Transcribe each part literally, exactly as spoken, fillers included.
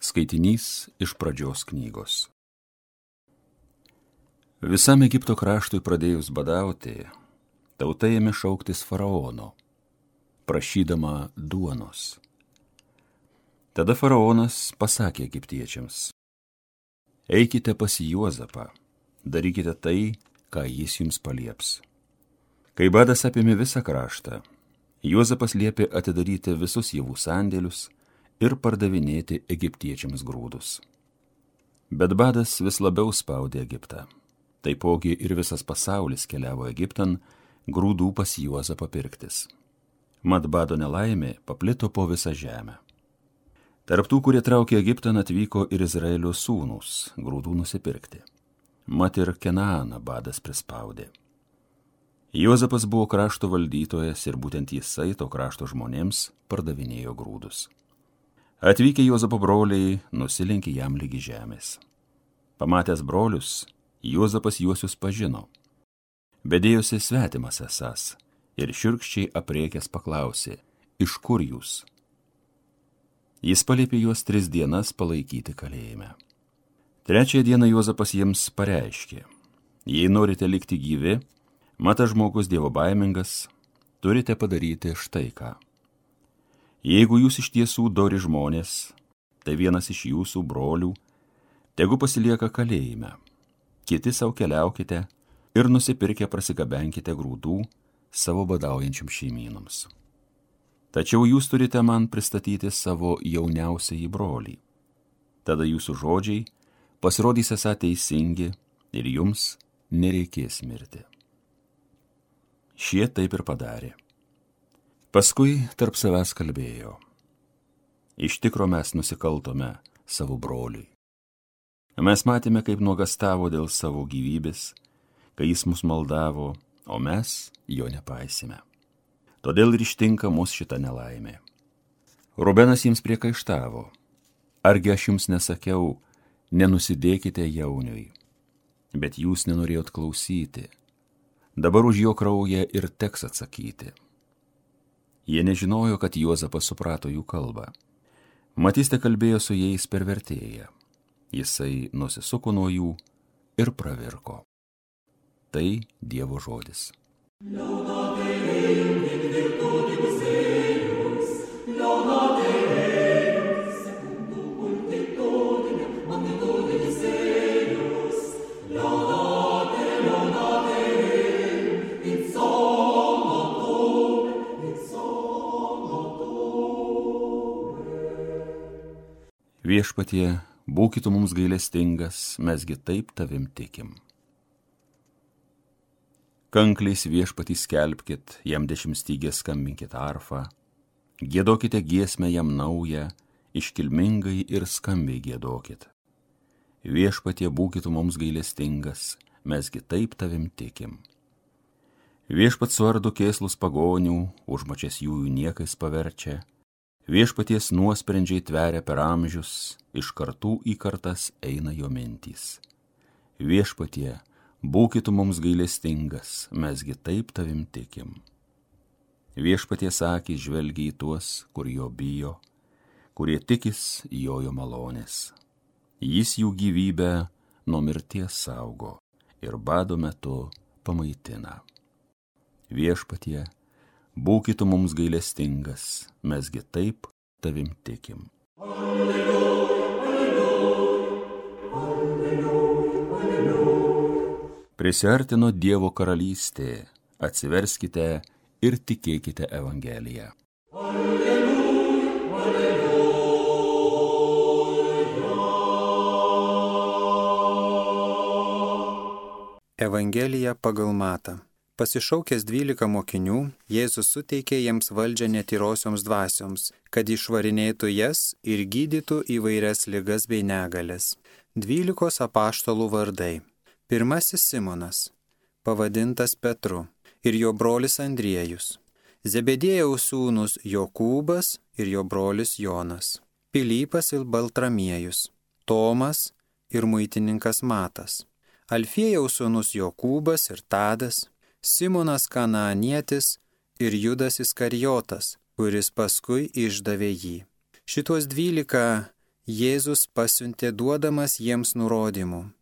Skaitinys iš pradžios knygos. Visam Egipto kraštui pradėjus badauti, tauta ėmė šauktis faraono, prašydama duonos. Tada faraonas pasakė egiptiečiams: eikite pas Juozapą, darykite tai, ką jis jums palieps. Kai badas apėmė visą kraštą, Juozapas liepė atidaryti visus javų sandėlius ir pardavinėti egiptiečiams grūdus. Bet badas vis labiau spaudė Egiptą. Taipogi ir visas pasaulis keliavo Egiptan grūdų pas Juozapą pirktis. Mat bado nelaimė paplito po visą žemę. Tarp tų, kurie traukė Egiptan, atvyko ir Izraelio sūnūs grūdų nusipirkti. Mat ir Kenaaną badas prispaudė. Juozapas buvo krašto valdytojas ir būtent jisai to krašto žmonėms pardavinėjo grūdus. Atvykę Juozapo broliai nusilenkė jam lygi žemės. Pamatęs brolius, Juozapas juosius pažino, bet dėjosi svetimas esąs ir šiurkščiai apriekęs paklausė: iš kur jūs? Jis paliepė juos tris dienas palaikyti kalėjime. Trečiąją dieną Juozapas jiems pareiškė: jei norite likti gyvi, matas žmogus dievobaimingas, turite padaryti štai ką. Jeigu jūs iš tiesų dori žmonės, tai vienas iš jūsų brolių tegu pasilieka kalėjime, kiti savo keliaukite ir nusipirkę prasigabenkite grūdų savo badaujančiam šeimynams. Tačiau jūs turite man pristatyti savo jauniausiąjį brolį. Tada jūsų žodžiai pasirodys esą teisingi ir jums nereikės mirti. Šie taip ir padarė. Paskui tarp savęs kalbėjo: iš tikro mes nusikaltome savo broliui. Mes matėme, kaip nuogastavo dėl savo gyvybės, kai jis mus maldavo, o mes jo nepaisime. Todėl ir ištinka mus šita nelaimė. Rubenas jiems priekaištavo: argi aš jums nesakiau, nenusidėkite jauniui, bet jūs nenorėjot klausyti. Dabar už jo kraują ir teks atsakyti. Jie nežinojo, kad Juozapas suprato jų kalbą. Matiste kalbėjo su jais per vertėją. Jisai nusisuko nuo jų ir pravirko. Tai Dievo žodis. Viešpatie, būkit mums gailestingas, mesgi taip tavim tikim. Kankliais viešpatį skelbkit, jam dešimtstygės skambinkit arfą, giedokite giesmę jam naują, iškilmingai ir skambiai giedokit. Viešpatie, būkit mums gailestingas, mesgi taip tavim tikim. Viešpat suardo kėslus pagonių, užmačias jųjų niekais paverčia. Viešpaties nuosprendžiai tveria per amžius, iš kartų į kartas eina jo mintys. Viešpatie, būkit mums gailestingas, mesgi taip tavim tikim. Viešpaties akys žvelgia į tuos, kur jo bijo, kurie tikis jojo malonės. Jis jų gyvybę nuo mirties saugo ir bado metu pamaitina. Viešpatie, būkit mums gailestingas, mesgi taip tavim tikim. Alleluja, alleluja, alleluja, alleluja. Prisiartino Dievo karalystė, atsiverskite ir tikėkite Evangeliją. Alleluja, alleluja. Evangelija pagal Matą. Pasišaukęs dvylika mokinių, Jėzus suteikė jiems valdžią netyrosioms dvasioms, kad išvarinėtų jas ir gydytų įvairias ligas bei negales. Dvylikos apaštalų vardai. Pirmasis Simonas, pavadintas Petru, ir jo brolis Andriejus. Zebediejaus sūnus Jokūbas ir jo brolis Jonas. Pilypas ir Baltramiejus. Tomas ir muitininkas Matas. Alfiejaus sūnus Jokūbas ir Tadas. Simonas Kanaanietis ir Judas Iskarijotas, kuris paskui išdavė jį. Šitos dvylika Jėzus pasiuntė duodamas jiems nurodymų.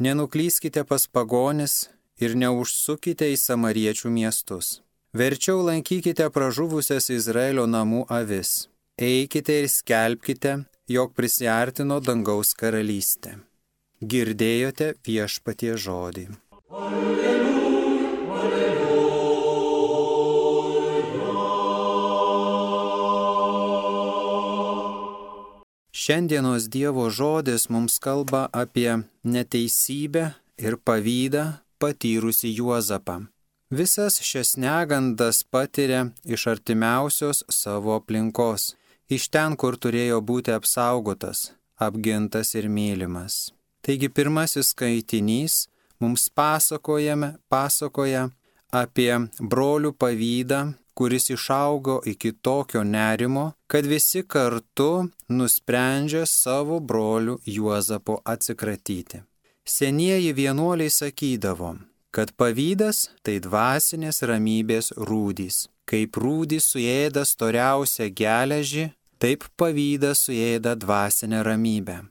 Nenuklyskite pas pagonis ir neužsukite į samariečių miestus. Verčiau lankykite pražuvusias Izraelio namų avis. Eikite ir skelbkite, jog prisiartino dangaus karalystė. Girdėjote viešpatie žodį. Alleluja, alleluja. Šiandienos Dievo žodis mums kalba apie neteisybę ir pavydą patyrusį Juozapą. Visas šias negandas patiria iš artimiausios savo aplinkos, iš ten, kur turėjo būti apsaugotas, apgintas ir mylimas. Taigi pirmasis skaitinys mums pasakojame, pasakoja apie brolių pavydą, kuris išaugo iki tokio nerimo, kad visi kartu nusprendžia savo brolių Juozapo atsikratyti. Senieji vienuoliai sakydavo, kad pavydas tai dvasinės ramybės rūdys. Kaip rūdys suėda storiausią geležį, taip pavydas suėda dvasinę ramybę.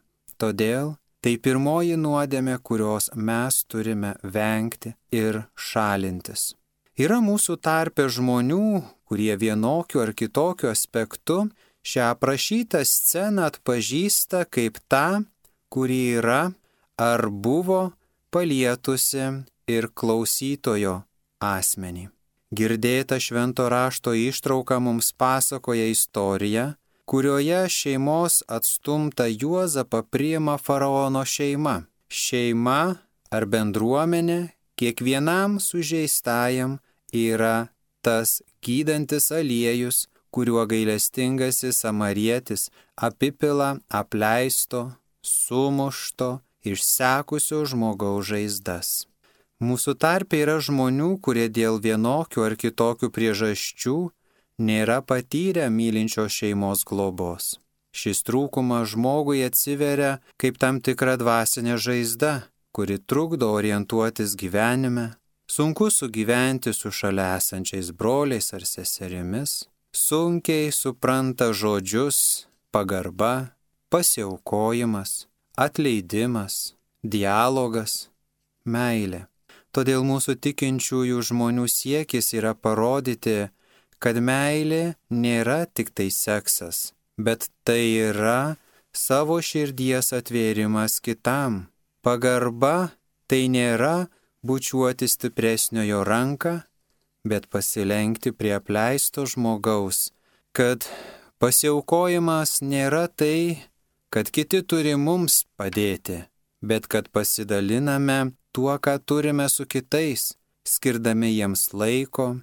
Todėl tai pirmoji nuodėmė, kurios mes turime vengti ir šalintis. Yra mūsų tarpe žmonių, kurie vienokiu ar kitokiu aspektu šią aprašytą sceną atpažįsta kaip tą, kuri yra ar buvo palietusi ir klausytojo asmenį. Girdėta švento rašto ištrauka mums pasakoja istoriją, kurioje šeimos atstumta Juozapą priima faraono šeima. Šeima ar bendruomenė kiekvienam sužeistajam yra tas gydantis aliejus, kuriuo gailestingasis samarietis apipila apleisto, sumušto, išsekusio žmogaus žaizdas. Mūsų tarpe yra žmonių, kurie dėl vienokių ar kitokių priežasčių nėra patyrę mylinčios šeimos globos. Šis trūkumas žmogui atsiveria kaip tam tikra dvasinė žaizda, kuri trukdo orientuotis gyvenime, sunku sugyventi su šalia esančiais broliais ar seserimis, sunkiai supranta žodžius, pagarba, pasiaukojimas, atleidimas, dialogas, meilė. Todėl mūsų tikinčiųjų žmonių siekis yra parodyti, kad meilė nėra tik tai seksas, bet tai yra savo širdies atvėrimas kitam. Pagarba tai nėra bučiuoti stipresniojo ranką, bet pasilenkti prie apleisto žmogaus, kad pasiaukojimas nėra tai, kad kiti turi mums padėti, bet kad pasidaliname tuo, ką turime su kitais, skirdami jiems laiko.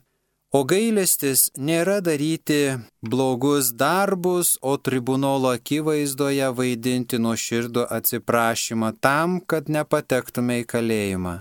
O gailestis nėra daryti blogus darbus, o tribunolo akivaizdoje vaidinti nuoširdų atsiprašymą tam, kad nepatektume į kalėjimą,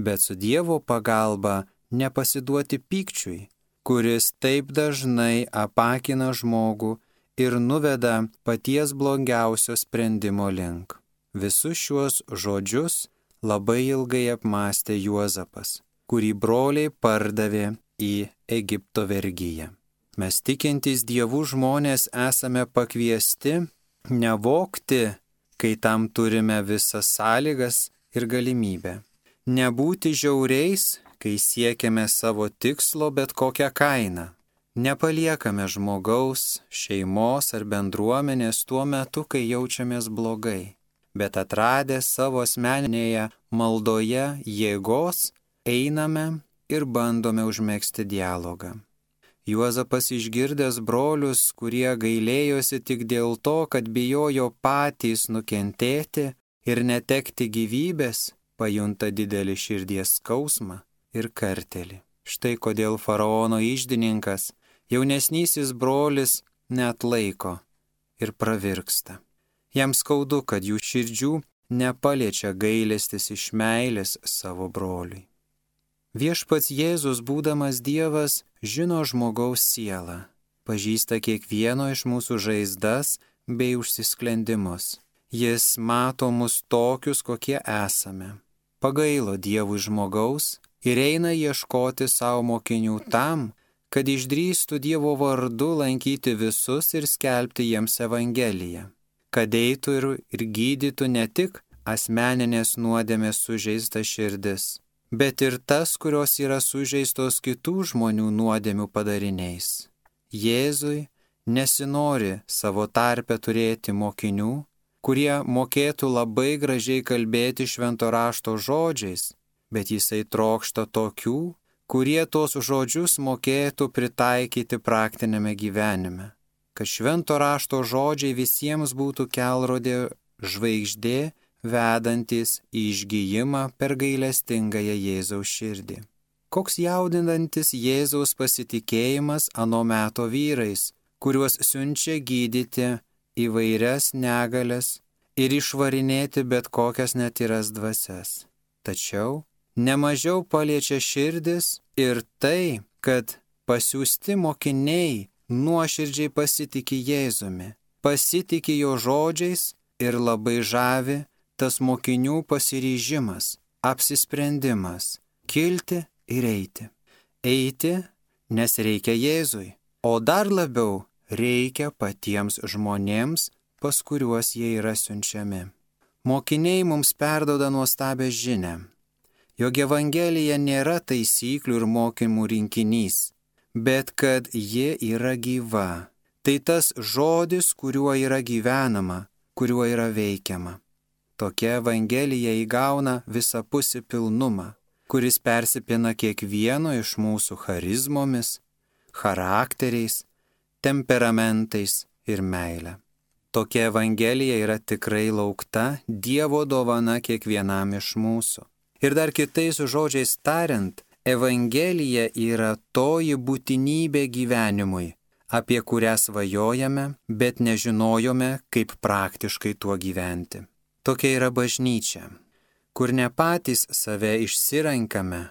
bet su Dievo pagalba nepasiduoti pykčiui, kuris taip dažnai apakina žmogų ir nuveda paties blogiausio sprendimo link. Visus šiuos žodžius labai ilgai apmąstė Juozapas, kurį broliai pardavė į Egipto vergiją. Mes tikintys Dievų žmonės esame pakviesti nevogti, kai tam turime visas sąlygas ir galimybę. Nebūti žiauriais, kai siekiame savo tikslo bet kokią kainą. Nepaliekame žmogaus, šeimos ar bendruomenės tuo metu, kai jaučiamės blogai, bet atradę savo asmeninėje maldoje jėgos, einame ir bandome užmegzti dialogą. Juozapas išgirdęs brolius, kurie gailėjosi tik dėl to, kad bijojo patys nukentėti ir netekti gyvybės, pajunta didelį širdies skausmą ir kartelį. Štai kodėl faraono iždininkas, jaunesnysis brolis, neatlaiko ir pravirksta. Jam skaudu, kad jų širdžių nepaliečia gailestis iš meilės savo broliui. Viešpats Jėzus, būdamas Dievas, žino žmogaus sielą, pažįsta kiekvieno iš mūsų žaizdas bei užsisklendimus. Jis mato mus tokius, kokie esame. Pagailo Dievui žmogaus ir eina ieškoti savo mokinių tam, kad išdrįstų Dievo vardu lankyti visus ir skelbti jiems Evangeliją. kad eitų ir, ir gydytų ne tik asmeninės nuodėmės sužeistas širdis, bet ir tas, kurios yra sužeistos kitų žmonių nuodėmių padariniais. Jėzui nesinori savo tarpe turėti mokinių, kurie mokėtų labai gražiai kalbėti švento rašto žodžiais, bet jisai trokšta tokių, kurie tos žodžius mokėtų pritaikyti praktinėme gyvenime, kad švento rašto žodžiai visiems būtų kelrodė žvaigždė, vedantis į išgijimą per gailestingąją Jėzaus širdį. Koks jaudinantis Jėzaus pasitikėjimas ano meto vyrais, kuriuos siunčia gydyti įvairias negales ir išvarinėti bet kokias netyras dvasias. Tačiau nemažiau paliečia širdis ir tai, kad pasiųsti mokiniai nuoširdžiai pasitiki Jėzumi, pasitiki jo žodžiais ir labai žavi tas mokinių pasiryžimas, apsisprendimas, kilti ir eiti. Eiti, nes reikia Jėzui, o dar labiau reikia patiems žmonėms, pas kuriuos jie yra siunčiami. Mokiniai mums perduoda nuostabią žinią, jog Evangelija nėra taisyklių ir mokymų rinkinys, bet kad ji yra gyva. Tai tas žodis, kuriuo yra gyvenama, kuriuo yra veikiama. Tokia Evangelija įgauna visapusį pilnumą, kuris persipina kiekvieno iš mūsų charizmomis, charakteriais, temperamentais ir meile. Tokia Evangelija yra tikrai laukta Dievo dovana kiekvienam iš mūsų. Ir dar kitais žodžiais tariant, Evangelija yra toji būtinybė gyvenimui, apie kurią svajojame, bet nežinojome, kaip praktiškai tuo gyventi. Tokia yra bažnyčia, kur ne patys save išsirenkame,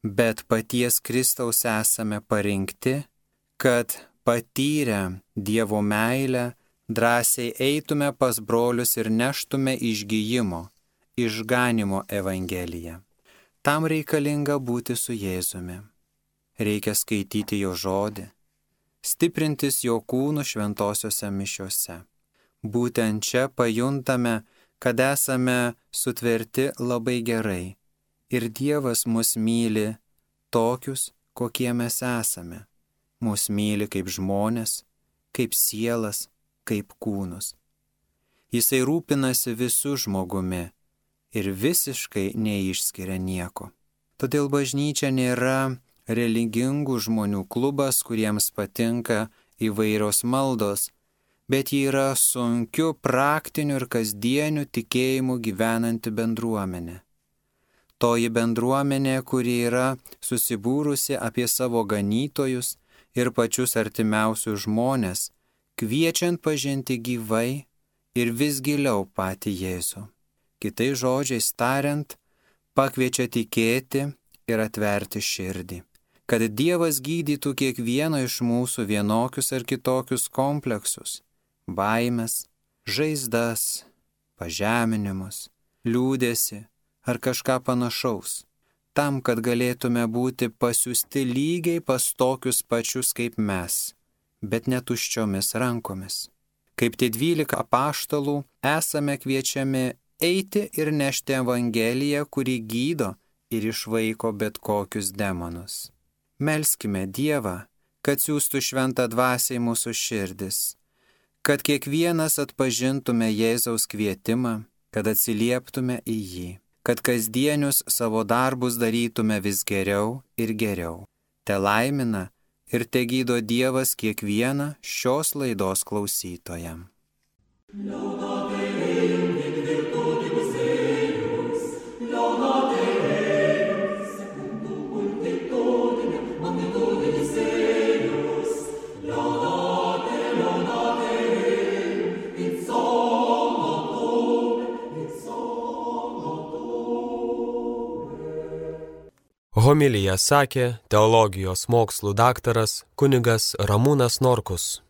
bet paties Kristaus esame parinkti, kad patyrę Dievo meilę drąsiai eitume pas brolius ir neštume išgijimo, išganimo Evangeliją. Tam reikalinga būti su Jėzumi. Reikia skaityti jo žodį, stiprintis jo kūnų šventosiose mišiose. Būtent čia pajuntame, kad esame sutverti labai gerai ir Dievas mus myli tokius, kokie mes esame. Mus myli kaip žmonės, kaip sielas, kaip kūnus. Jisai rūpinasi visų žmogumi ir visiškai neišskiria nieko. Todėl bažnyčia nėra religingų žmonių klubas, kuriems patinka įvairios maldos, bet ji yra sunkiu praktiniu ir kasdieniu tikėjimu gyvenanti bendruomenė. Toji bendruomenė, kuri yra susibūrusi apie savo ganytojus ir pačius artimiausius žmonės, kviečiant pažinti gyvai ir vis giliau patį Jėzų. Kitais žodžiais tariant, pakviečia tikėti ir atverti širdį, kad Dievas gydytų kiekvieno iš mūsų vienokius ar kitokius kompleksus, baimės, žaizdas, pažeminimus, liūdesį ar kažką panašaus, tam, kad galėtume būti pasiųsti lygiai pas tokius pačius kaip mes, bet netuščiomis rankomis. Kaip tie dvylika apaštalų esame kviečiami eiti ir nešti Evangeliją, kuri gydo ir išvaiko bet kokius demonus. Melskime Dievą, kad siųstų šventą dvasią į mūsų širdis, kad kiekvienas atpažintume Jėzaus kvietimą, kad atsilieptume į jį, kad kasdienius savo darbus darytume vis geriau ir geriau. Te laimina ir te gydo Dievas kiekvieną šios laidos klausytoją. Homiliją sakė teologijos mokslų daktaras kunigas Ramūnas Norkus.